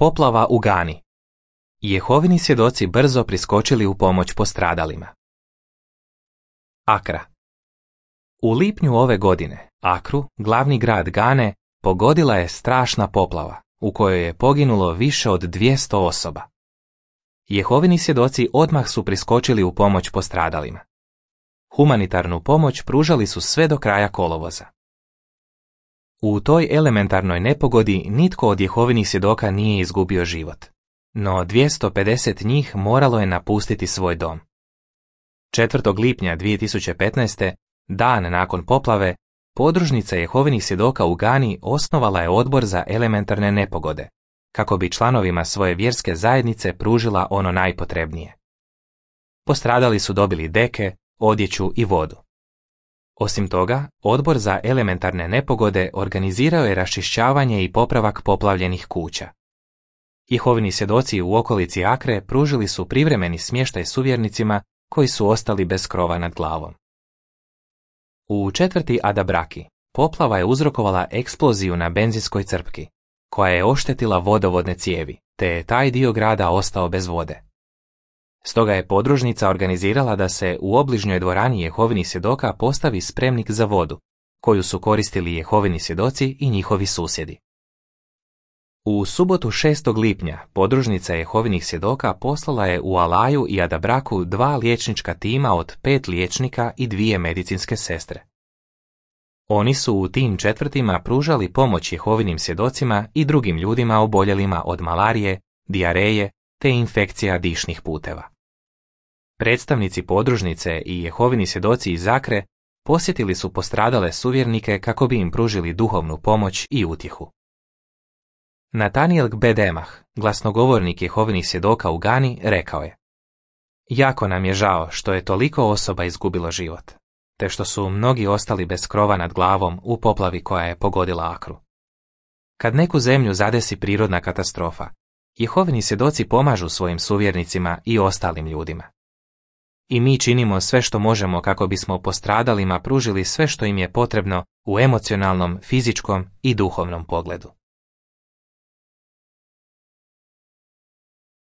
Poplava u Gani. Jehovini svjedoci brzo priskočili u pomoć postradalima. Akra. U lipnju ove godine Akru, glavni grad Gane, pogodila je strašna poplava, u kojoj je poginulo više od 200 osoba. Jehovini svjedoci odmah su priskočili u pomoć postradalima. Humanitarnu pomoć pružali su sve do kraja kolovoza. U toj elementarnoj nepogodi nitko od Jehovinih svjedoka nije izgubio život, no 250 njih moralo je napustiti svoj dom. 4. lipnja 2015. dan nakon poplave, podružnica Jehovinih svjedoka u Gani osnovala je odbor za elementarne nepogode, kako bi članovima svoje vjerske zajednice pružila ono najpotrebnije. Postradali su dobili deke, odjeću i vodu. Osim toga, odbor za elementarne nepogode organizirao je raščišćavanje i popravak poplavljenih kuća. Jehovini svjedoci u okolici Akre pružili su privremeni smještaj suvjernicima koji su ostali bez krova nad glavom. U četvrti Adabraki poplava je uzrokovala eksploziju na benzinskoj crpki, koja je oštetila vodovodne cijevi, te je taj dio grada ostao bez vode. Stoga je podružnica organizirala da se u obližnjoj dvorani Jehovinih svjedoka postavi spremnik za vodu, koju su koristili Jehovini svjedoci i njihovi susjedi. U subotu 6. lipnja podružnica Jehovinih svjedoka poslala je u Alaju i Adabraku 2 liječnička tima od 5 liječnika i 2 medicinske sestre. Oni su u tim četvrtima pružali pomoć Jehovinim svjedocima i drugim ljudima oboljelima od malarije, dijareje te infekcija dišnih puteva. Predstavnici podružnice i Jehovini svjedoci iz Akre posjetili su postradale suvjernike kako bi im pružili duhovnu pomoć i utjehu. Natanijel Gbedemah, glasnogovornik Jehovinih svjedoka u Gani, rekao je: Jako nam je žao što je toliko osoba izgubilo život, te što su mnogi ostali bez krova nad glavom u poplavi koja je pogodila Akru. Kad neku zemlju zadesi prirodna katastrofa, Jehovini svjedoci pomažu svojim suvjernicima i ostalim ljudima. I mi činimo sve što možemo kako bismo postradalima pružili sve što im je potrebno u emocionalnom, fizičkom i duhovnom pogledu.